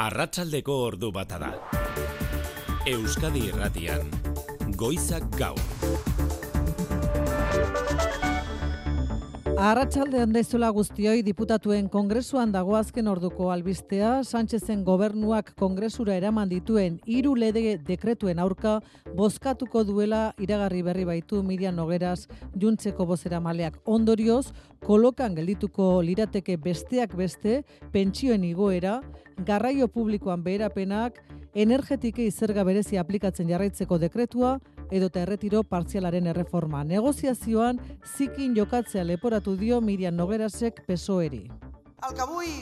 Arratsaldeko ordu bata da. Euskadi Irratian, Goizak Gaur. Arratsaldean daizuela guztioi, diputatuen kongresuan dago azken orduko albistea. Sánchezen gobernuak kongresura eraman dituen 3 lege dekretuen aurka bozkatuko duela iragarri berri baitu Miriam Nogueras Juntzeko bozeramaleak. Ondorioz, kolokan geldituko lirateke besteak beste, pentsioen igoera, garraio publikoan beherapenak, energetike zerga berezi aplikatzen jarraitzeko dekretua, edota erretiro partzialaren erreforma. Negoziazioan zikin jokatzea leporatu dio Miriam Noguerasek PSOE-ri. El que avui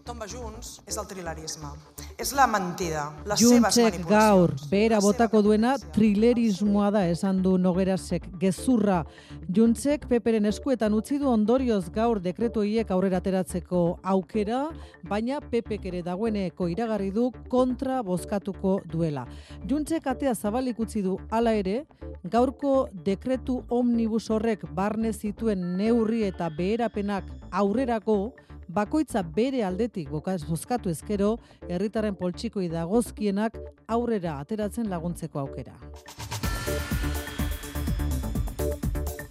tomba Junts és el trilerisme. És la mentida, les seves manipulacions. Gaur, behera botako duena trilerismoa da, esan du Noguerasek, gezurra. Juntzek Peperen eskuetan utzi du ondorioz gaur dekretu horiek aurrera ateratzeko aukera, baina Pepek ere dagoeneko iragarri du kontra bozkatuko duela. Juntzek atea zabalik utzi du hala ere, gaurko dekretu omnibus horrek barne zituen neurri eta beherapenak aurrerako, bakoitza bere aldetik bozkatu ezkero, herritarren poltsikoi dagozkienak aurrera ateratzen laguntzeko aukera.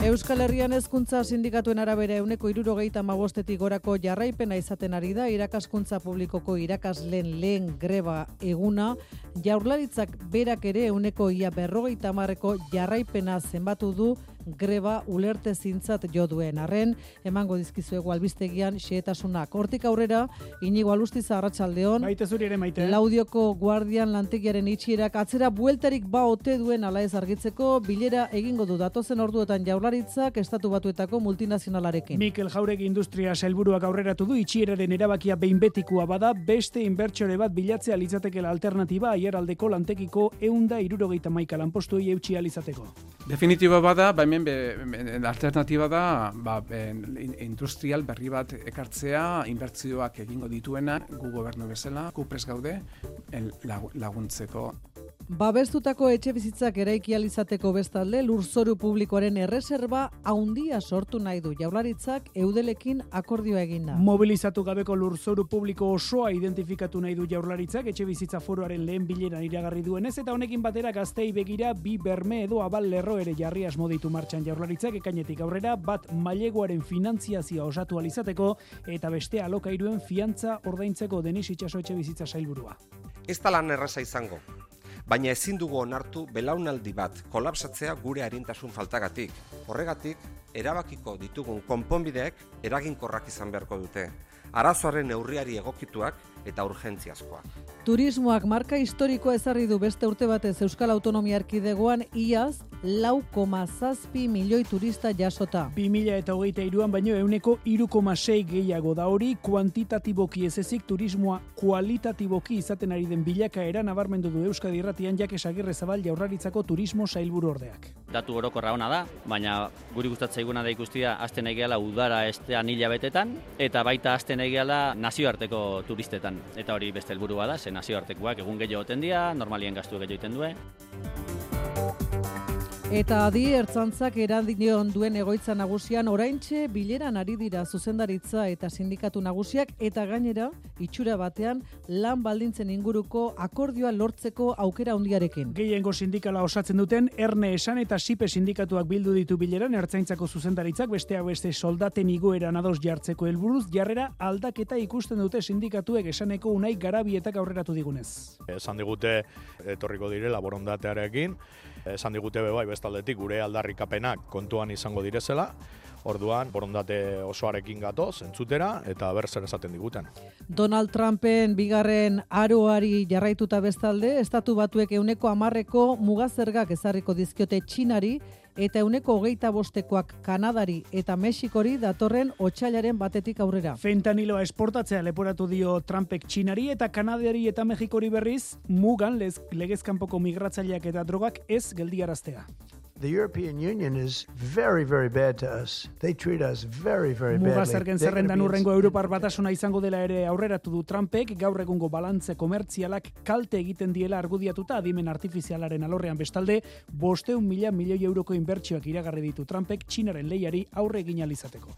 Euskal Herrian hezkuntza sindikatuen arabera 75%tik gorako jarraipena izaten ari da irakaskuntza publikoko irakasleen lehen greba eguna. Jaurlaritzak berak ere 50%ko jarraipena zenbatu du greba ulertezintzat jo duen. Arren, emango dizkizuegu albistegian xehetasunak. Hortik aurrera, Inigo Alustiza, arratsaldeon. Maite zuri ere, Maite. Laudioko guardian lantegiaren itxierak atzera bueltarik ote duen ala ez argitzeko bilera egingo du datozen orduetan Jaurlaritzak Estatu Batuetako multinazionalarekin. Mikel Jauregi Industria sailburuak aurreratu du itxieraren erabakia behin betikoa bada, beste inbertsore bat bilatzea litzatekeela alternatiba aiaraldeko lantegiko 171 lanpostuei eutsi alizateko. Definitiba bada, hemen alternatiba da industrial berri bat ekartzea, inbertsioak egingo dituena, gu gobernu bezala, gu prest gaude laguntzeko. Babestutako etxe bizitzak eraiki alizateko bestalde, lurzoru publikoaren erreserba handia sortu nahi du. Jaurlaritzak Eudelekin akordioa eginda. Mobilizatu gabeko lurzoru publiko osoa identifikatu nahi du Jaurlaritzak etxe bizitza foroaren lehen bileran iragarri duenez, eta honekin batera gaztei begira bi berme edo abal lerro ere jarri asmo ditu martxan Jaurlaritzak ekainetik aurrera, bat maileguaren finantziazioa osatu alizateko eta beste alokairuen fiantza ordaintzeko. Denis Itxaso etxe bizitza sailburua. Ez da lan erraza izango. Baina ezin dugu onartu belaunaldi bat kolapsatzea gure arintasun faltagatik. Horregatik, erabakiko ditugun konponbideek eraginkorrak izan beharko dute. Arazoaren neurriari egokituak eta urgentziazkoak. Turismoak marka historikoa ezarri du beste urte batez Euskal Autonomia Erkidegoan iaz 4,7 milioi turista jasota. 2023an baino 3,6 gehiago da hori, kuantitatiboki ez ezik turismoa kualitatiboki izaten ari den bilakaera nabarmendu du Euskadi Irratian Jakes Agirrezabal Jaurlaritzako turismo sailburu ordeak. Datu orokorra ona da, baina guri gustatzaiguna da ikustia hasten egiala udara estean hilabetetan eta baita hasten egiala nazioarteko turistetan. Eta hori beste helburua da, ze nazioartekoak egun gehiago oten dira, normalien gastu gehiago egiten duen. Eta adi ertzantzak eradion duen egoitza nagusian oraintxe bileran ari dira zuzendaritza eta sindikatu nagusiak eta gainera itxura batean lan baldintzen inguruko akordioa lortzeko aukera handiarekin. Gehiengo sindikala osatzen duten Erne Esan eta Sipe sindikatuak bildu ditu bileran ertzaintzako zuzendaritzak besteak beste soldaten igoeran ados jartzeko helburuz jarrera aldaketa ikusten dute sindikatuek Esaneko Unai Garabietak aurreratu digunez. Esan digute etorriko direla borondatearekin, esan digute bai bestaldetik gure aldarrikapenak kontuan izango direzela, orduan borondate osoarekin gatoz entzutera eta zer esaten diguten. Donald Trumpen bigarren aroari jarraituta bestalde, Estatu Batuek 10% mugazergak ezarriko dizkiote Txinari eta 25%koak Kanadari eta Mexikori datorren otsailaren batetik aurrera. Fentaniloa esportatzea leporatu dio Trumpek Txinari eta Kanadari eta Mexikori berriz mugan legezkanpoko migratzaileak eta drogak ez geldiaraztea. The European Union is very, very bad to us. They treat us very, very badly. Mugazergen zerrendan urrengo Europar Batasuna izango dela ere aurreratu du Trumpek, gaur egungo balantze komertzialak kalte egiten diela argudiatuta adimen artifizialaren alorrean bestalde, 500.000 milioi euroko inbertsioak iragarri ditu Trumpek Txinaren lehiari aurre egin ahal izateko.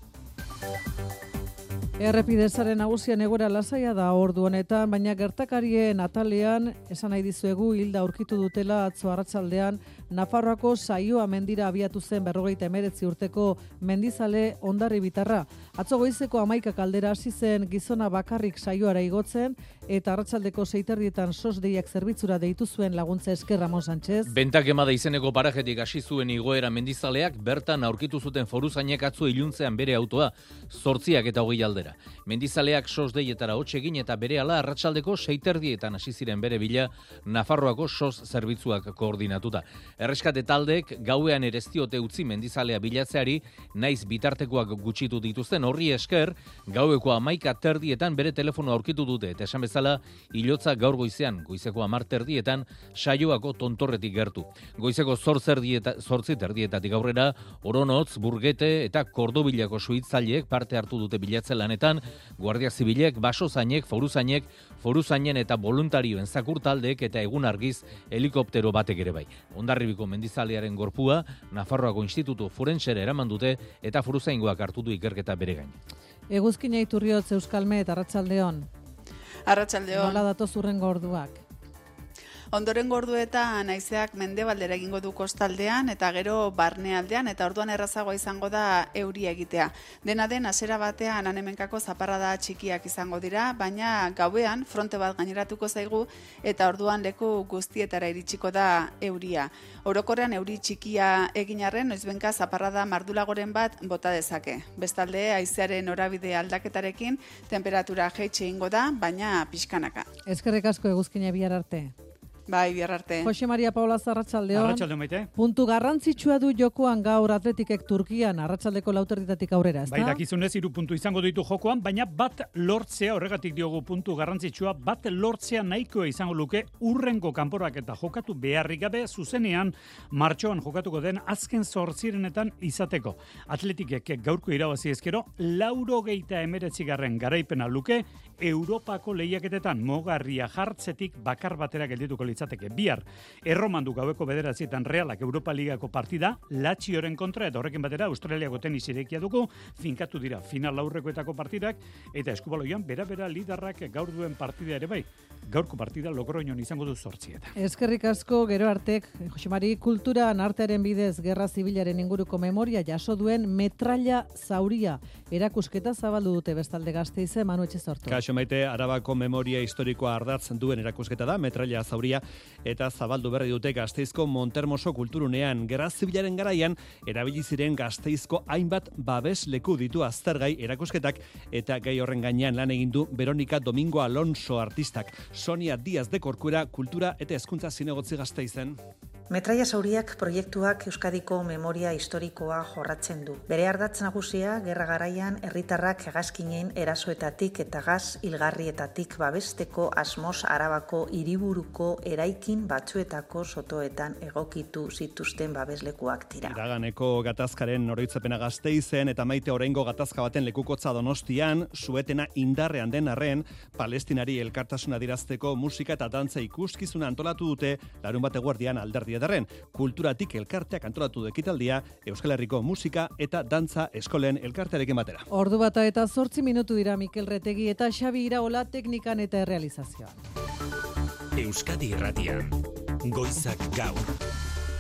Errepidezaren nagusian egoera lasaia da ordu honetan, baina gertakarien atalean esan nahi dizuegu hilda aurkitu dutela atzo arratsaldean Nafarroako Saioa mendira abiatu zen 59 urteko mendizale Hondarribitarra. Atzo goizeko 11 kaldera hasi zen gizona bakarrik saioara igotzen eta arratsaldeko 6:30 sos deiak zerbitzura deitu zuen laguntza esker Ramon Sánchez. Bentak emada izeneko parajetik hasi zuen igoera mendizaleak bertan aurkitu zuten foruzainek atzo iluntzean bere autoa 8 eta 20 aldera. Mendizaleak sos deietara hotz egin eta berehala arratsaldeko 6:30 hasi ziren bere bila Nafarroako sos zerbitzuak koordinatuta. Erreskate taldeek gauean ere ez diote utzi mendizalea bilatzeari, naiz bitartekoak gutxitu dituzten horri esker, gaueko 11:30 bere telefono aurkitu dute eta esan bezala ilotza gaur goizean, goizeko 10:30 Saioako tontorretik gertu. Goizeko 8:30 aurrera Oronotz, Burgete eta Kordobilako suhitzaileek parte hartu dute bilatze lanetan, Guardia Zibilek, basozainek, foruzainen eta voluntarioen zakur taldeek eta egun argiz helikoptero batek ere bai. Hondarribiko mendizalearen gorpua Nafarroako Institutu Forensera eraman dute eta foruzaingoak hartu du ikerketa bere gain. Eguzkina Iturriotz Euskalmet, arratsaldeon. Arratsaldeon. Nola datoz hurrengo orduak? Ondorengo orduetan haizeak mendebaldera egingo du kostaldean eta gero barnealdean eta orduan errazagoa izango da euria egitea. Dena den hasiera batean han-hemenkako zaparrada txikiak izango dira, baina gauean fronte bat gaineratuko zaigu eta orduan leku guztietara iritsiko da euria. Orokorrean euri txikia egin arren noizbenka zaparrada mardulagoren bat bota dezake. Bestalde haizearen norabide aldaketarekin temperatura jaitsi egingo da, baina pixkanaka. Eskerrik asko Eguzkina bihar arte. Bai, bihar arte. Jose Maria Paula arratsaldeon. Arratsaldeon maite. Puntu garrantzitsua du jokoan gaur Atletikek Turkian arratsaldeko 4:00 aurrera, ezta? Bai, dakizunez 3 puntu izango ditu jokoan, baina bat lortzea, horregatik diogu puntu garrantzitsua, bat lortzea nahikoa izango luke urrengo kanporak eta jokatu beharrik gabe zuzenean martxoan jokatuko den azken 8 izateko. Atletikek gaurko irabazi ezkero 89. garaipena luke Europako lehiaketetan mogarria jartzetik bakar batera geldituko litzateke. Bihar, Erromandu gaueko 9:00 Realak Europa Ligako partida, Lazioren kontra eta horrekin batera Australiako tenis irekia dugu, finkatu dira final aurrekoetako partidak eta eskubaloian bera liderrak gaur duen partida ere bai. Gaurko partida Logroñon izango du 8:00. Eskerrik asko, gero artek, Jose Mari, kulturan artearen bidez gerra zibilaren inguruko memoria jaso duen metralla zauria erakusketa zabaldu dute bestalde Gasteize, Manu Etxezortu. Kaixo maite, Arabako memoria historikoa ardatz duen erakusketa da, metralla zauria, eta zabaldu berri dute Gasteizko Montermoso kulturunean. Gerra zibilaren garaian, erabili ziren Gasteizko hainbat babes leku ditu aztergai erakusketak, eta gai horren gainean lan egin du Veronika Domingo Alonso artistak. Sonia Díaz de Corcuera, kultura eta hezkuntza zinegotzi Gasteizen. Metralla zauriak proiektuak Euskadiko memoria historikoa jorratzen du. Bere ardatz nagusia, gerra garaian herritarrak hegazkinen erasoetatik eta gaz hilgarrietatik babesteko asmoz Arabako hiriburuko eraikin batzuetako sotoetan egokitu zituzten babeslekuak dira. Iraganeko gatazkaren oroitzapena Gasteizen eta maite oraingo gatazka baten lekukotza Donostian, suetena indarrean den arren, Palestinari elkartasuna dirazteko musika eta dantza ikuskizuna antolatu dute larunbat eguerdian Alderdi Ederren. Kulturatik elkarteak antolatu ekitaldia Euskal Herriko musika eta dantza eskolen elkartearekin batera. Ordu bata eta 8 minutu dira Mikel Retegi eta Xabi Iraola teknikan eta errealizazioan. Euskadi Irratian, Goizak Gaur.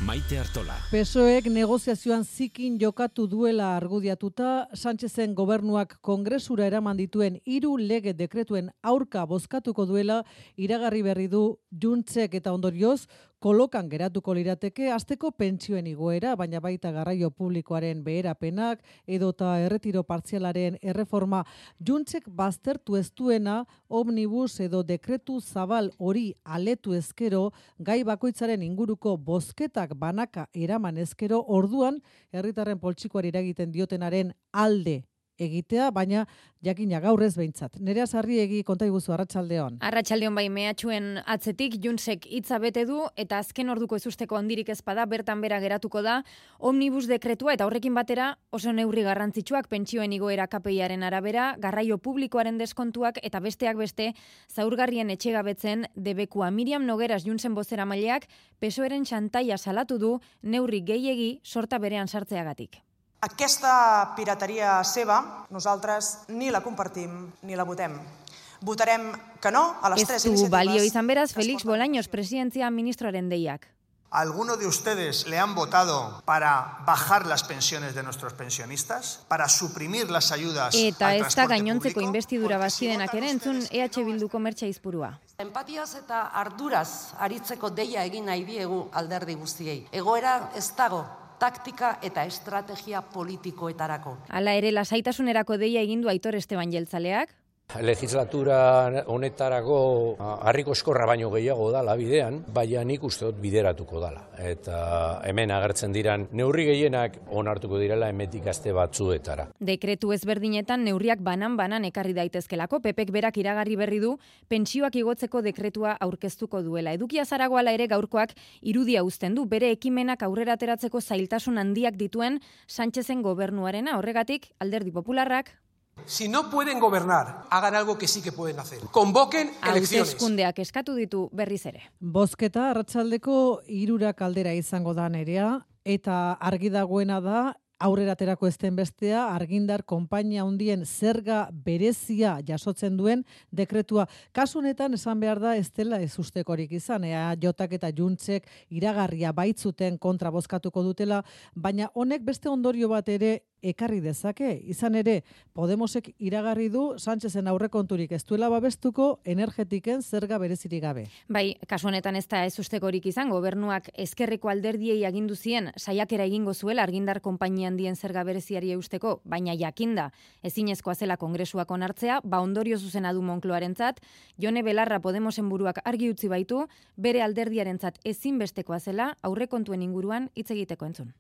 Maite Artola. PSOEk negoziazioan zikin jokatu duela argudiatuta, Sánchezen gobernuak kongresura eraman dituen 3 lege dekretuen aurka bozkatuko duela iragarri berri du Juntzek eta ondorioz kolokan geratuko lirateke asteko pentsioen igoera, baina baita garraio publikoaren beherapenak edota erretiro partzialaren erreforma. Juntzek baztertu ez duena omnibus edo dekretu zabal hori aletu ezkero, gai bakoitzaren inguruko bozketak banaka eraman ezkero, orduan herritarren poltsikoari eragiten diotenaren alde egitea, baina jakina gaur ez behintzat. Nerea Sarriegi konta iguzu, arratsaldeon. Arratsaldeon bai, mehatxuen atzetik Juntsek hitza bete du eta azken orduko ezusteko handirik ezpada bertan bera geratuko da omnibus dekretua eta horrekin batera oso neurri garrantzitsuak pentsioen igoera KPIaren arabera, garraio publikoaren deskontuak eta besteak beste zaurgarrien etxegabetzen debekua. Miriam Nogueras Juntsen bozeramaileak PSOEren xantaia salatu du neurri gehiegi sorta berean sartzeagatik. Aquesta pirateria seva nosaltres ni la compartim ni la votem. Votarem que no a les tres iniciatives. Balio izan beraz, Felix Bolaños, presidentzia ministroaren deiak. ¿Alguno de ustedes le han votado para bajar las pensiones de nuestros pensionistas? ¿Para suprimir las ayudas al Eta ez da transporte gainontzeko público? inbestidura bazkidenak ere entzun EH Bilduko Mertxe Izpurua. Empatiaz eta arduraz aritzeko deia egin nahi diegu alderdi guztiei. Egoera ez dago taktika eta estrategia politikoetarako. Hala ere, lasaitasunerako deia egindu Aitor Esteban jeltzaleak. Legislatura honetarako harriko eskorra baino gehiago dala bidean, baina nik uste dut bideratuko dala. Eta hemen agertzen diran neurri gehienak onartuko direla hemetik aste batzuetara. Dekretu ezberdinetan neurriak banan ekarri daitezkelako, Pepek berak iragarri berri du pentsioak igotzeko dekretua aurkeztuko duela. Edukia Zaragoala ere gaurkoak irudia uzten du, bere ekimenak aurrera ateratzeko zailtasun handiak dituen Sánchezen gobernuarena. Horregatik, Alderdi Popularrak Si no pueden gobernar, hagan algo que sí que pueden hacer. Convoquen elecciones. Hauteskundeak eskatu ditu berriz ere. Bozketa arratsaldeko 3 aldera izango da Nerea, eta argi dagoena da aurrera aterako ezten bestea, argindar konpainia handien zerga berezia jasotzen duen dekretua. Kasu honetan esan behar da ez dela ez ustekorik izan, Jotak eta Juntzek iragarria baitzuten kontra bozkatuko dutela, baina honek beste ondorio bat ere ekarri dezake. Izan ere, Podemosek iragarri du Sánchezen aurrekonturik ez duela babestuko energetiken zerga berezirik gabe. Bai, kasu honetan ez da ez ustekorik izan, gobernuak ezkerreko alderdiei agindu zien saiakera egingo zuela argindar konpainia handien zerga bereziari eusteko, baina jakinda ezinezkoa zela kongresuak onartzea, ondorio zuzena du Moncloarentzat. Jone Belarra Podemosen buruak argi utzi baitu, bere alderdiarentzat ezinbestekoa zela aurrekontuen inguruan hitz egiteko entzun.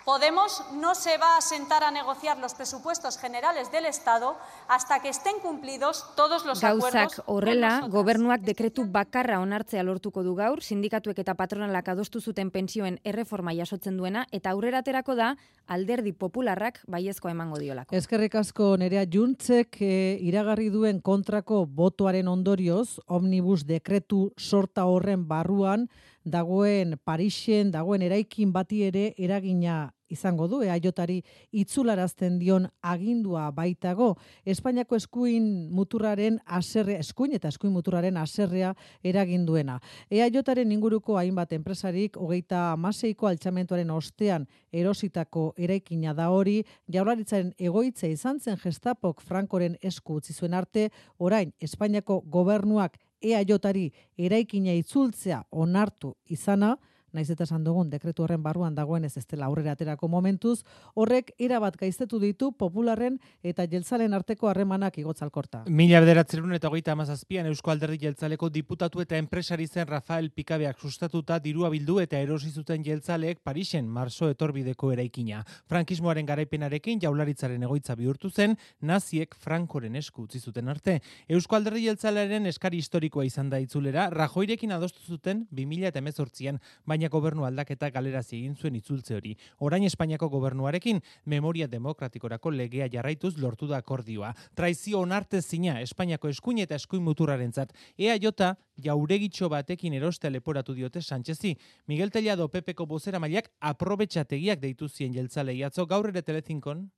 Podemos no se va a sentar a negociar los presupuestos generales del Estado hasta que estén cumplidos todos los acuerdos. Gauzak horrela, gobernuak dekretu bakarra onartzea lortuko du gaur, sindikatuek eta patronalak adostu zuten pentsioen erreforma jasotzen duena, eta aurrera aterako da Alderdi Popularrak baiezkoa emango diolako. Eskerrik asko Nerea. Juntzek iragarri duen kontrako botoaren ondorioz, omnibus dekretu sorta horren barruan dagoen Parisen, dagoen eraikin bati ere eragina izango du, EAJari itzularazten dion agindua baitago. Espainiako eskuin muturraren haserrea, eskuin muturraren haserrea eraginduena. EAJaren inguruko hainbat enpresarik 36ko altxamentuaren ostean erositako eraikina da hori, Jaurlaritzaren egoitza izan zen Gestapok Frankoren esku utzi zuen arte, orain Espainiako gobernuak EAJari eraikina itzultzea onartu izana, naiz eta esan dugun dekretu horren barruan dagoen ez dela aurrera aterako momentuz, horrek erabat gaiztetu ditu Popularren eta jeltzalen arteko harremanak igotzalkorta. 1937an Eusko Alderdi Jeltzaleko diputatu eta enpresari zen Rafael Pikabeak sustatuta dirua bildu eta erosi zuten jeltzaleek Parisen marso etorbideko eraikina. Frankismoaren garaipenarekin Jaurlaritzaren egoitza bihurtu zen, naziek Frankoren esku utzi zuten arte. Eusko Alderdi Jeltzalearen eskari historikoa izan da itzulera, Rajoirekin adostu zuten 2018an, baina gobernu aldaketa galerazi egin zuen itzultze hori. Orain Espainiako gobernuarekin memoria demokratikorako legea jarraituz lortu da akordioa. Traizio onartezina Espainiako eskuin eta eskuin muturrarentzat. EAJ jauregitxo batekin erostea leporatu diote Sánchezi. Miguel Tellado PPko bozeramaileak aprobetxategiak deitu zien jeltzalei atzo gaur ere Telezinkon.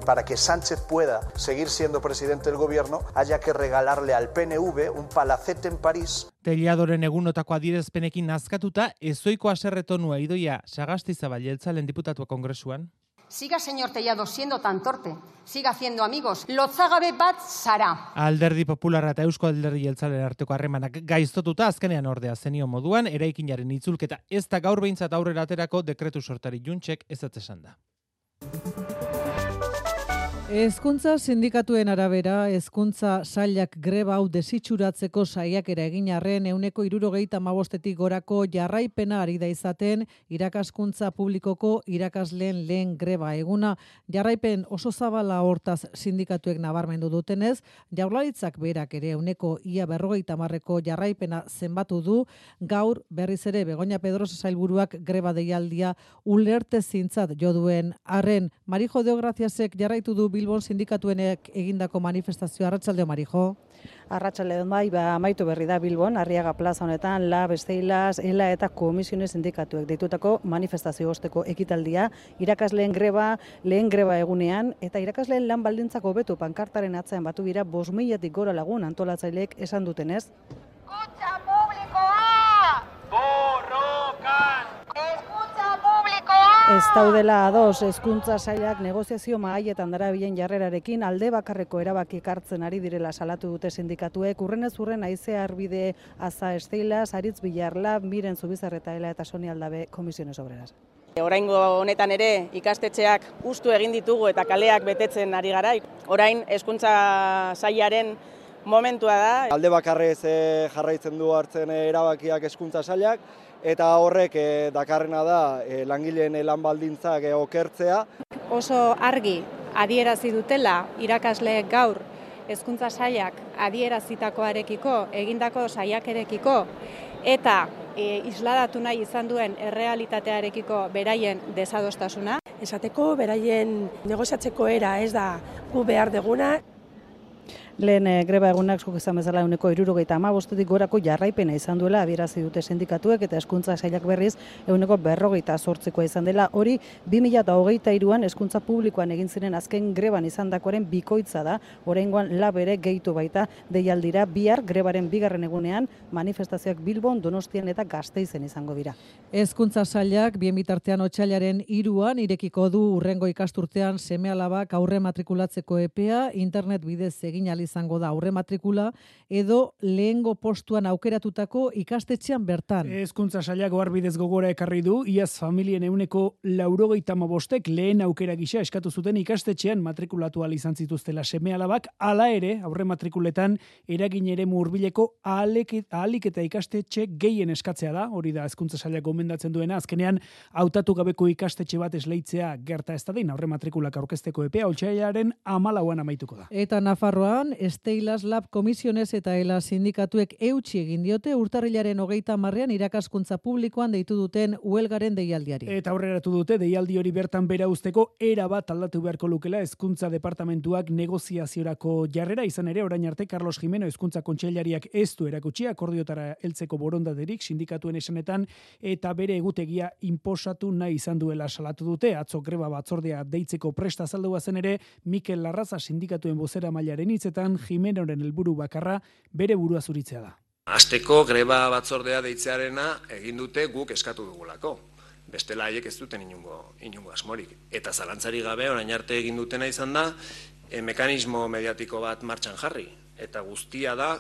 Para que Sánchez pueda seguir siendo presidente del gobierno, haya que regalarle al PNV un palacete en París. Telladoren egunotako adierazpenekin nazkatuta, ezoiko haserretonua Idoia Sagastizabal jeltzalen diputatua kongresuan. Siga, señor Tellado, siendo tan torpe. Siga haciendo amigos. Lotzagabe bat zara. Alderdi Popularra eta Eusko Alderdi Jeltzalen arteko harremanak gaiztotuta azkenean ordea zenio moduan, eraikinaren itzulketa ez da gaur behintzat aurrera aterako dekretu sortari Juntzek ezetz esan da. Hezkuntza sindikatuen arabera, hezkuntza sailak greba hau desitxuratzeko saiakera egin arren 75%tik gorako jarraipena ari da izaten irakaskuntza publikoko irakasleen lehen greba eguna. Jarraipen oso zabala hortaz sindikatuek nabarmendu dutenez, Jaurlaritzak berak ere ia 50%ko jarraipena zenbatu du. Gaur berriz ere Begoña Pedrosa sailburuak greba deialdia ulertezintzat jo duen arren. Marijo Deograziasek jarraitu du Bilbon sindikatuenek egindako manifestazioa. Arratsalde on, Marijo. Arratsalde on, bai, amaitu berri da Bilbon, Arriaga plaza honetan, LAB, Steilas, ELA eta Komisiones sindikatuek deitutako manifestazio osteko ekitaldia, irakasleen greba, lehen greba egunean, eta irakasleen lan baldintzak hobetu pankartaren atzean batu dira 5.000-tik gora lagun antolatzaileek esan dutenez. Escucha publikoa! Borrokan! Eskuntza publikoa! Ez daudela ados, hezkuntza sailak negoziazio mahaietan darabilen jarrerarekin alde bakarreko erabaki hartzen ari direla salatu dute sindikatuek. Urrenez urren Aizea Arbide, Aza Steilas, Aritz Bilarla, Miren Zubizarreta eta Soni Aldabe Komisiones Obreras. Oraingo honetan ere ikastetxeak hustu egin ditugu eta kaleak betetzen ari gara. Orain hezkuntza sailaren momentua da. Alde bakarrez jarraitzen du hartzen erabakiak hezkuntza sailak eta horrek dakarrena da langileen lan baldintzak okertzea. Oso argi adierazi dutela irakasleek gaur hezkuntza sailak adierazitakoarekiko, egindako saiakerekiko eta isladatu nahi izan duen errealitatearekiko beraien desadostasuna. Esateko beraien negoziatzeko era ez da gu behar deguna. Lehen greba egunak zuk izan bezala 75%tik gorako jarraipena izan duela adierazi dute sindikatuek eta hezkuntza sailak berriz 48%koa izan dela. Hori 2023an hezkuntza publikoan egin ziren azken greban izandakoaren bikoitza da. Oraingoan LAB ere gehitu baita deialdira. Bihar grebaren bigarren egunean manifestazioak Bilbon, Donostian eta Gasteizen izango dira. Hezkuntza sailak bien bitartean otsailaren 3an irekiko du hurrengo ikasturtean seme-alabak aurre matrikulatzeko epea, internet bidez egin izango da aurre matrikula edo lehengo postuan aukeratutako ikastetxean bertan. Hezkuntza sailak oharbidez gogora ekarri du, iaz familien 95%ek lehen aukera gisa eskatu zuten ikastetxean matrikulatu ahal izan zituztela seme-alabak, hala ere aurre matrikuletan eragin eremu hurbileko ahalik eta ikastetxe gehien eskatzea da, hori da hezkuntza sailak gomendatzen duena, azkenean hautatu gabeko ikastetxe bat esleitzea gerta ez dadin aurre matrikulak aurkezteko epea otsailaren 14an amaituko da. Eta Nafarroan Steilas, LAB, Komisiones eta ELA sindikatuek eutsi egin diote urtarrilaren 30ean irakaskuntza publikoan deitu duten huelgaren deialdiari. Eta aurreratu dute deialdi hori bertan bera uzteko era bat aldatu beharko lukela hezkuntza departamentuak negoziaziorako jarrera izan ere orain arte Carlos Jimeno hezkuntza kontseilariak ez du erakutsi akordiotara heltzeko borondaterik sindikatuen esanetan eta bere egutegia inposatu nahi izan duela salatu dute. Atzo greba batzordea deitzeko presta azaldua zen ere Mikel Larraza sindikatuen bozera mailaren hitzetan Jimenoren helburu bakarra bere burua zuritzea da. Asteko greba batzordea deitzearena egin dute guk eskatu dugulako. Bestela haiek ez duten inongo asmorik. Eta zalantzari gabe orain arte egin dutena izan da mekanismo mediatiko bat martxan jarri. Eta guztia da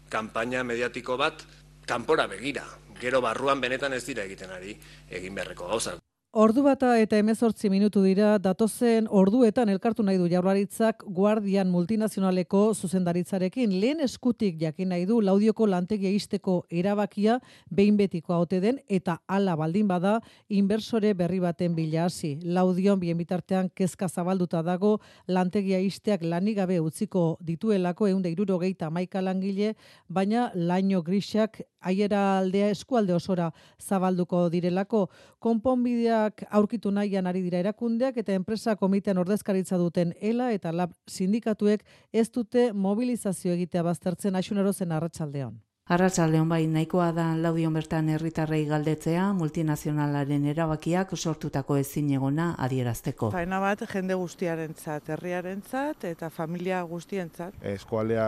kanpaina mediatiko bat kanpora begira. Gero barruan benetan ez dira egiten ari egin beharreko gauzak. Ordu bata eta 18 minutu dira, datozen orduetan elkartu nahi du Jaurlaritzak Guardian multinazionaleko zuzendaritzarekin. Lehen eskutik jakin nahi du Laudioko lantegia ixteko erabakia behin betikoa ote den eta hala baldin bada inbertsore berri baten bila hasi. Laudion bien bitartean kezka zabalduta dago lantegia ixteak lanik gabe utziko dituelako 171 langile, baina laino grisak aiera aldea eskualde osora zabalduko direlako. Konponbidea aurkitu nahian ari dira erakundeak eta enpresa komitean ordezkaritza duten ELA eta LAB sindikatuek ez dute mobilizazio egitea baztertzen. Aixunero zen arratsaldeon. Arratsaldeon bai, nahikoa da Laudion bertan herritarrei galdetzea multinazionalaren erabakiak sortutako ezinegona adierazteko. Faena bat jende guztiarentzat, herriarentzat eta familia guztientzat. Eskualdea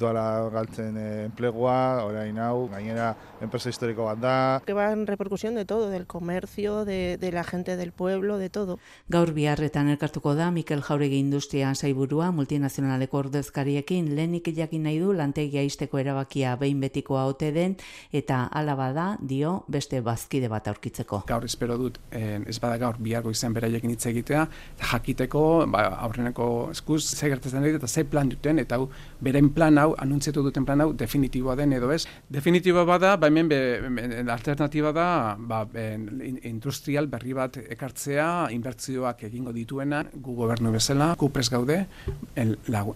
doala galtzen enplegua, orain hau, gainera enpresa historiko bat da. Que van repercusión de todo, del comercio, de la gente del pueblo, de todo. Gaur biharretan elkartuko da Mikel Jauregi industria sailburua multinazionaleko ordezkariekin lehenik jakin nahi du lantegia ixteko erabakia behin betiko ote den eta hala bada dio beste bazkide bat aurkitzeko. Gaur espero dut ez bada gaur bihargo izan beraiekin hitz egitea jakiteko aurreneko eskuz ze gertatzen ari eta ze plan duten eta hau beren plan hau anuntziatu duten plan hau definitiboa den edo ez. Definitiboa bada hemen alternatiba da industrial berri bat ekartzea inbertsioak egingo dituena gu gobernu bezala gu prest gaude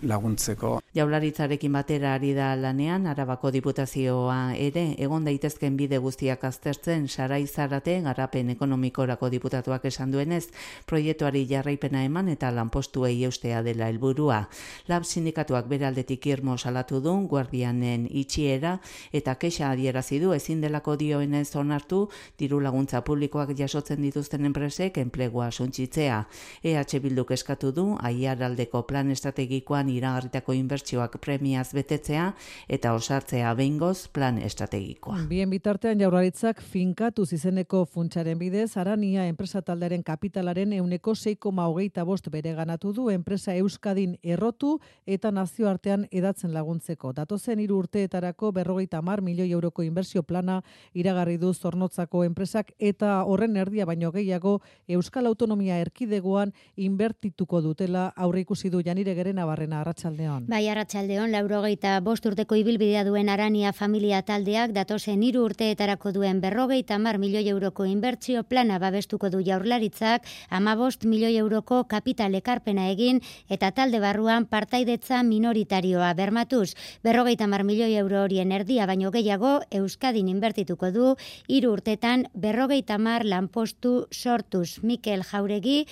laguntzeko. Jaurlaritzarekin batera ari da lanean Arabako Diputazio ebaluazioa ere egon daitezken bide guztiak aztertzen Sarai Zarate garapen ekonomikorako diputatuak esan duenez, proiektuari jarraipena eman eta lanpostuei eustea dela helburua. Lab sindikatuak bere aldetik irmo salatu du guardianen itxiera eta kexa adierazi du ezin delako dioenez onartu diru laguntza publikoak jasotzen dituzten enpresek enplegua suntsitzea. EH Bilduk eskatu du aiaraldeko plan estrategikoan iragarritako inbertsioak premiaz betetzea eta osartzea behingoz plan estrategikoa. Bien bitartean Jaurlaritzak finkatu izeneko funtsaren bidez Arania enpresa taldearen kapitalaren 6,25% bereganatu du enpresa Euskadin errotu eta nazioartean edatzen laguntzeko. Datozen 3 urteetarako 50 milioi euroko inbertsio plana iragarri du Zornotzako enpresak eta horren erdia baino gehiago Euskal Autonomia Erkidegoan inbertituko dutela aurreikusi du Janire Gerenabarrena. Arratsaldeon. Bai, arratsaldeon, 85 urteko ibilbidea duen Arania familia taldeak datozen 3 urteetarako duen 50 milioi euroko inbertsio plana babestuko du Jaurlaritzak, 15 milioi euroko kapital ekarpena egin eta talde barruan partaidetza minoritarioa bermatuz. 50 milioi euro horien erdia baino gehiago Euskadin inbertituko du 3 urtetan 50 lanpostu sortuz. Mikel Jauregi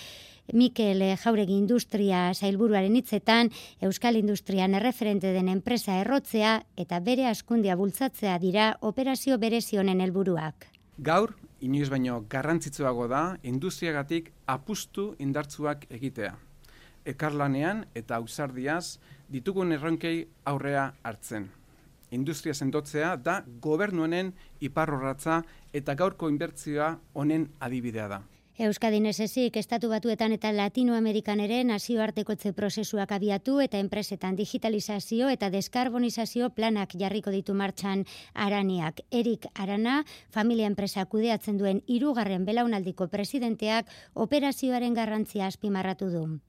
Industria Sailburuaren hitzetan, Euskal Industrian erreferente den enpresa errotzea eta bere hazkundea bultzatzea dira operazio berezi honen helburuak. Gaur, inoiz baino garrantzitsuago da industriagatik apustu indartsuak egitea. Ekarlanean eta ausardiaz ditugun erronkei aurrea hartzen. Industria sendotzea da gobernuenen iparrorratza eta gaurko inbertsioa honen adibidea da. Euskadin ez ezik, Estatu Batuetan eta Latinoamerikan ere nazioartekotze prozesuak abiatu eta enpresetan digitalizazio eta deskarbonizazio planak jarriko ditu martxan Araniak. Erik Arana, familia enpresa kudeatzen duen 3. belaunaldiko presidenteak operazioaren garrantzia azpimarratu du.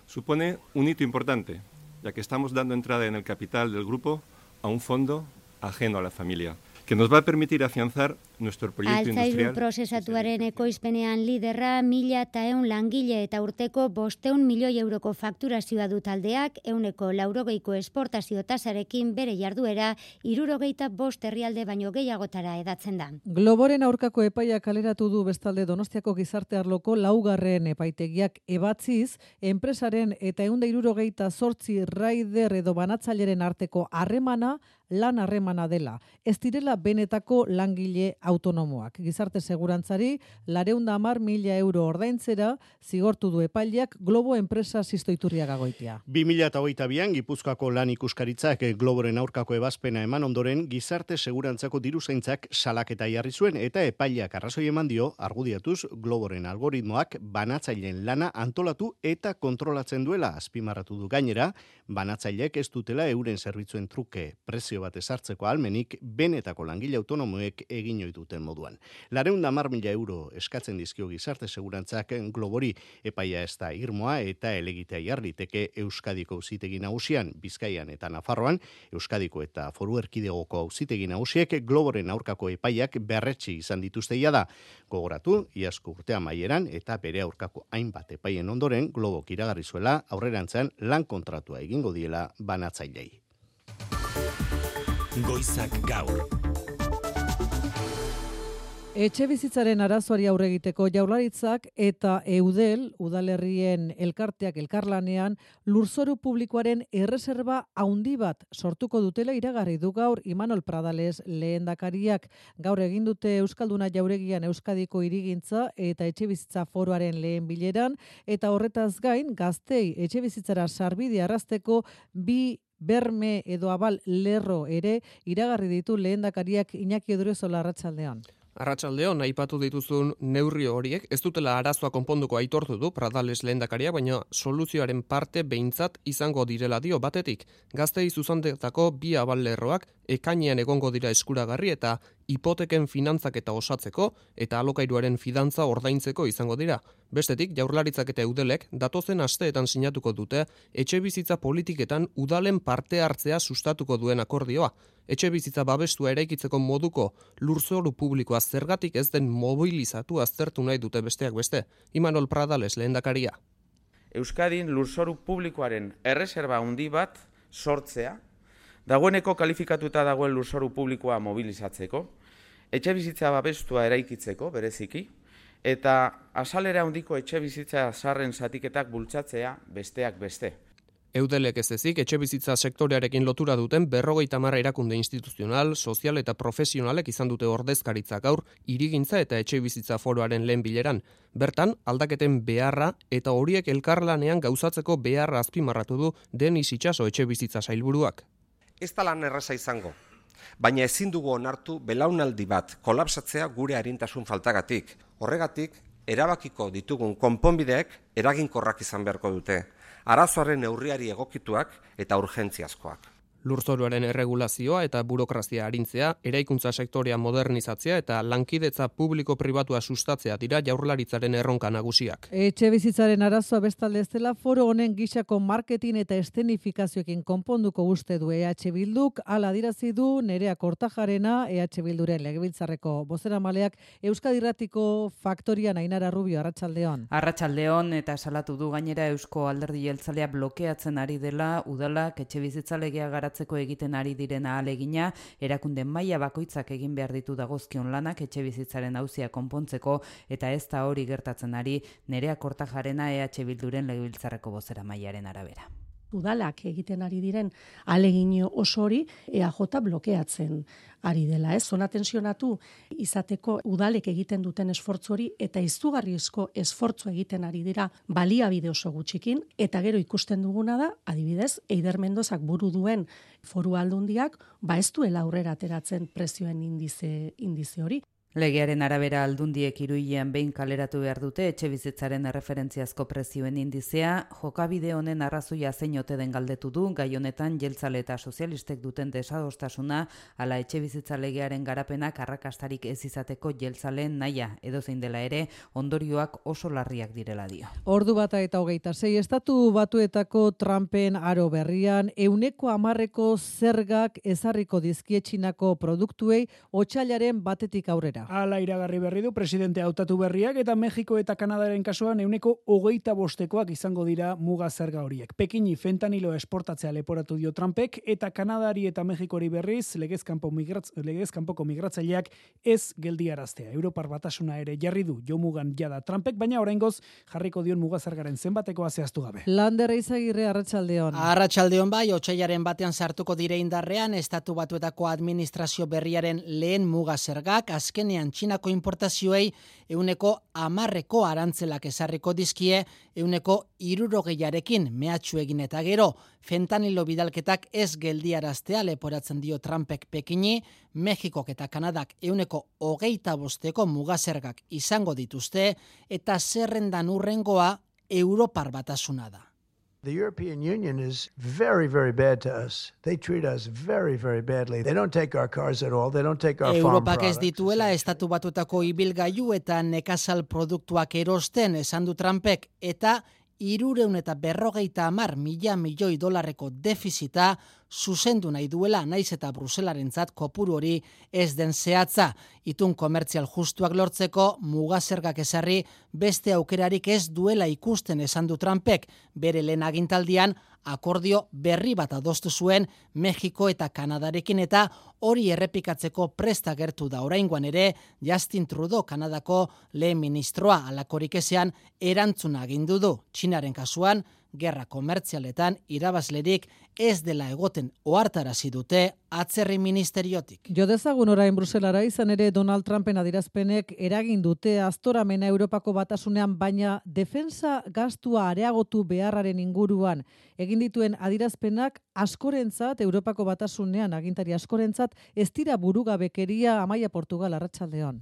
Supone un hito importante, ya que estamos dando entrada en el capital del grupo a un fondo ajeno a la familia, que nos va a permitir afianzar nuestro proyecto industrial. Altzairu prozesatuaren ekoizpenean liderra 1.100 langile eta urteko 500 milioi euroko fakturazioa du taldeak, 80% esportazio tasarekin bere jarduera 75 herrialde baino gehiagotara edatzen da. Globoren aurkako epaia kaleratu du bestalde Donostiako gizarte arloko 4. epaitegiak ebatziz, enpresaren eta 168 raider edo banatzaileren arteko harremana lan harremana dela. Ez direla benetako langile autonomoak. Gizarte segurantzari 210.000 euro ordaintzera zigortu du epaileak Globo enpresa Sistoiturriaga Goitia. 2022an Gipuzkoako lan ikuskaritzak Globoren aurkako ebazpena eman ondoren gizarte segurantzako diruzaintzak salaketa jarri zuen eta epaileak arrazoi eman dio argudiatuz Globoren algoritmoak banatzaileen lana antolatu eta kontrolatzen duela azpimarratu du. Gainera, banatzaileek ez dutela euren zerbitzuen truke prezio bat ezartzeko almenik benetako langile autonomoek egin ohi duten moduan. 210.000 euro eskatzen dizkio gizarte segurantzak Globori, epaia ez da irmoa eta elegitea jarriteke Euskadiko auzitegi nagusian, Bizkaian eta Nafarroan, Euskadiko eta Foru Erkidegoko auzitegi nagusiek Globoren aurkako epaiak berretsi izan dituzteia da. Gogoratu, iazko urte amaieran eta bere aurkako hainbat epaien ondoren Globok iragarri zuela aurrerantzean lan kontratua egingo diela banatzailei. Goizak gaur. Etxebizitzaren arazoari aurre egiteko Jaurlaritzak eta Eudel, udalerrien elkarteak elkarlanean, lurzoru publikoaren erreserba handi bat sortuko dutela iragarri du gaur Imanol Pradales lehendakariak. Gaur egin dute Euskalduna Jauregian Euskadiko hirigintza eta etxebizitza foroaren lehen bileran, eta horretaz gain gaztei etxebizitzara sarbide arrasteko 2 berme edo abal lerro ere iragarri ditu lehendakariak. Iñaki Odriozola, arratsaldeon. Arratsaldeon, aipatu dituzun neurri horiek ez dutela arazoa konponduko aitortu du Pradales lehendakaria, baina soluzioaren parte behintzat izango direla dio. Batetik, gaztei zuzendetako 2 aballerroak ekainean egongo dira eskuragarri eta hipoteken finantzaketa osatzeko eta alokairuaren fidantza ordaintzeko izango dira. Bestetik, Jaurlaritzak eta Eudelek datozen asteetan sinatuko dute etxebizitza politiketan udalen parte hartzea sustatuko duen akordioa. Etxebizitza babestua eraikitzeko moduko lurzoru publikoa zergatik ez den mobilizatu aztertu nahi dute besteak beste. Imanol Pradales lehendakaria. Euskadin lurzoru publikoaren erreserba handi bat sortzea Dagoeneko kalifikatuta dagoen lurzoru publikoa mobilizatzeko, etxe bizitza babestua eraikitzeko, bereziki, eta azalera handiko etxe bizitza zaharren zatiketak bultzatzea besteak beste. Eudelek ez ezik, etxe bizitza sektorearekin lotura duten 50 erakunde instituzional, sozial eta profesionalek izan dute ordezkaritza gaur hirigintza eta etxe bizitza foroaren lehen bileran. Bertan, aldaketen beharra eta horiek elkarlanean gauzatzeko beharra azpimarratu du Denis Itxaso etxe bizitza sailburuak. Ez da lan erraza izango, baina ezin dugu onartu belaunaldi bat kolapsatzea gure arintasun faltagatik. Horregatik, erabakiko ditugun konponbideek eraginkorrak izan beharko dute. Arazoaren neurriari egokituak eta urgentziazkoak. Lurzoruaren erregulazioa eta burokrazia arintzea, eraikuntza sektorea modernizatzea eta lankidetza publiko-pribatua sustatzea dira Jaurlaritzaren erronka nagusiak. Etxe bizitzaren arazoa bestalde ez dela foro honen gisako marketing eta eszenifikazioekin konponduko uste du EH Bilduk, hala adirazi du Nerea Kortajarena, EH Bilduren legebiltzarreko bozeramaleak Euskadi Irratiko Faktorian Ainara Rubio, arratsaldeon. Arratsaldeon, eta salatu du gainera Eusko Alderdi Jeltzalea blokeatzen ari dela udalak etxe bizitza legea garatzeko egiten ari diren ahalegina, erakunde maila bakoitzak egin behar ditu dagozkion lanak etxe bizitzaren auzia konpontzeko, eta ez da hori gertatzen ari Nerea Kortajarena EH Bilduren legebiltzarreko bozeramailearen arabera. Udalak egiten ari diren ahalegin oso hori EAJ blokeatzen ari dela, zona tensionatu izateko udalek egiten duten esfortzu hori eta izugarrizko esfortzu egiten ari dira baliabide oso gutxikin, eta gero ikusten duguna da, adibidez, Eider Mendozak buru duen Foru Aldundiak ez duela aurrera ateratzen prezioen indize hori. Legearen arabera aldundiek 3 hilean behin kaleratu behar dute etxe bizitzaren erreferentziazko prezioen indizea. Jokabide honen arrazoia zein ote den galdetu du, gai honetan jeltzale eta sozialistek duten desadostasuna, ala etxe bizitza legearen garapenak arrakastarik ez izateko jeltzaleen nahia, edozein dela ere, ondorioak oso larriak direla dio. Ordu 1:26, Estatu Batuetako Trumpen aro berrian 110% zergak ezarriko dizkie Txinako produktuei otsailaren 1 aurrera. Hala iragarri berri du presidente hautatu berriak, eta Mexiko eta Kanadaren kasuan 125% izango dira muga zerga horiek. Pekini fentanilo esportatzea leporatu dio Trumpek, eta Kanadari eta Mexikori berriz legez kanpoko migratzaileak ez geldiaraztea. Europar Batasuna ere jarri du jomugan jada Trumpek, baina oraingoz jarriko dion muga zergaren zenbatekoa zehaztu gabe. Lander Izagirre, arratsaldeon. Arratsaldeon bai, otsailaren batean sartuko dire indarrean Estatu Batuetako administrazio berriaren lehen muga zergak, azkenean Txinako importazioei 10% arantzelak ezarriko dizkie 60%arekin mehatxu egin, eta gero fentanilo bidalketak ez geldiaraztea leporatzen dio Trumpek Pekini. Mexikok eta Kanadak 25% mugazergak izango dituzte, eta zerrendan urrengoa Europar Batasuna da. The European Union is very, very bad to us. They treat us very, very badly. They don't take our cars at all. They don't take our farm products. Europak ez dituela Estatu Batuetako ibilgailu eta nekazal produktuak erosten, esan du Trumpek, eta 350 milioi dolarreko defizita zuzendu nahi duela, naiz eta Bruselarentzat kopuru hori ez den zehatza. Itun komertzial justuak lortzeko mugazergak ezarri beste aukerarik ez duela ikusten, esan du Trumpek. Bere lehen agintaldian akordio berri bat adostu zuen Mexiko eta Kanadarekin, eta hori errepikatzeko prest agertu da oraingoan ere Justin Trudeau, Kanadako lehen ministroa. Halakorik ezean erantzuna agindu du. Txinaren kasuan, gerra komertzialetan irabazlerik ez dela egoten ohartarazi dute atzerri ministeriotik. Jo dezagun orain Bruselara, izan ere Donald Trumpen adierazpenek eragin dute aztoramena Europako Batasunean, baina defensa gastua areagotu beharraren inguruan egin dituen adierazpenak askorentzat, Europako Batasunean agintari askorentzat, ez dira burugabekeria. Amaia Portugal, arratsaldeon.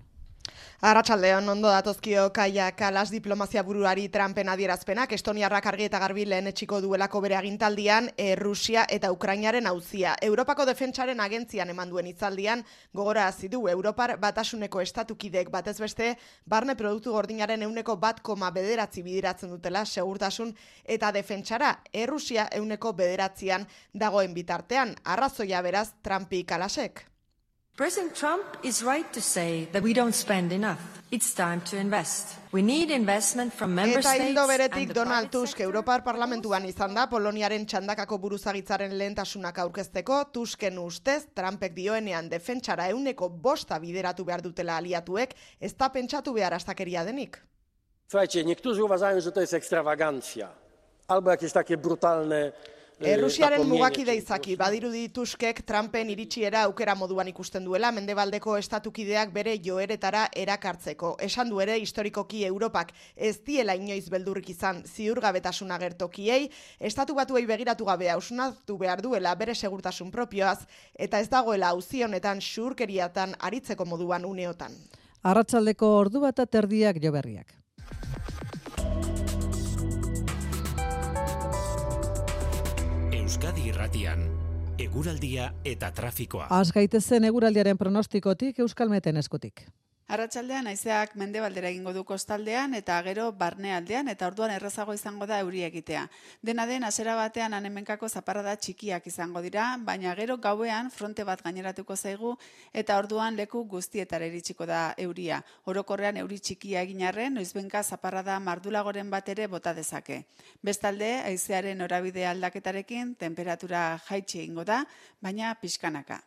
Arratsaldeon, ondo datozkio Kaia Kalas diplomazia buruari Trumpen adierazpenak. Estoniarrak argi eta garbi lehenetsiko duelako bere agintaldian Rusia eta Ukrainaren auzia. Europako defentsaren agentzian eman duen hitzaldian gogorarazi du Europar Batasuneko estatukidek batez beste barne produktu gordinaren 1,9 bideratzen dutela segurtasun eta defentsara. Rusia 9% dagoen bitartean. Arrazoia beraz Trumpi Kalasek. President Trump is right to say that we don't spend enough. It's time to invest. We need investment from member states. Eta ildo beretik Donald Tusk Europar Parlamentuan izan da Poloniaren txandakako buruzagitzaren lehentasunak aurkezteko. Tusken ustez, Trumpek dioenean defentsara 5% bideratu behar dutela aliatuek, ez da pentsatu behar astakeria denik. Słuchajcie, niektórzy uważają, że to jest ekstrawagancja, albo jakieś takie brutalne Errusiaren mugakide izaki, badirudi Tuskek Trumpen iritsiera aukera moduan ikusten duela mendebaldeko estatukideak bere joeretara erakartzeko. Esan du ere historikoki Europak ez diela inoiz beldurrik izan ziurgabetasun agertokiei, estatu batuei begiratu gabe hausnartu behar duela bere segurtasun propioaz, eta ez dagoela auzi honetan xurkeriatan aritzeko moduan uneotan. Arratsaldeko 1:30 joberriak. Euskadi Irratian, eguraldia eta trafikoa. Az gaitezen eguraldiaren pronostikotik Euskalmeten eskutik. Arratsaldean haizeak mendebaldera egingo du kostaldean eta gero barnealdean eta orduan errazago izango da euri egitea. Dena den hasiera batean hemenkako zaparrada txikiak izango dira, baina gero gauean fronte bat gaineratuko zaigu eta orduan leku guztietara iritsiko da euria. Orokorrean euri txikia egin arren, noizbenka zaparrada mardulagoren bat ere bota dezake. Bestalde, haizearen norabide aldaketarekin temperatura jaitsi egingo da, baina pixkanaka.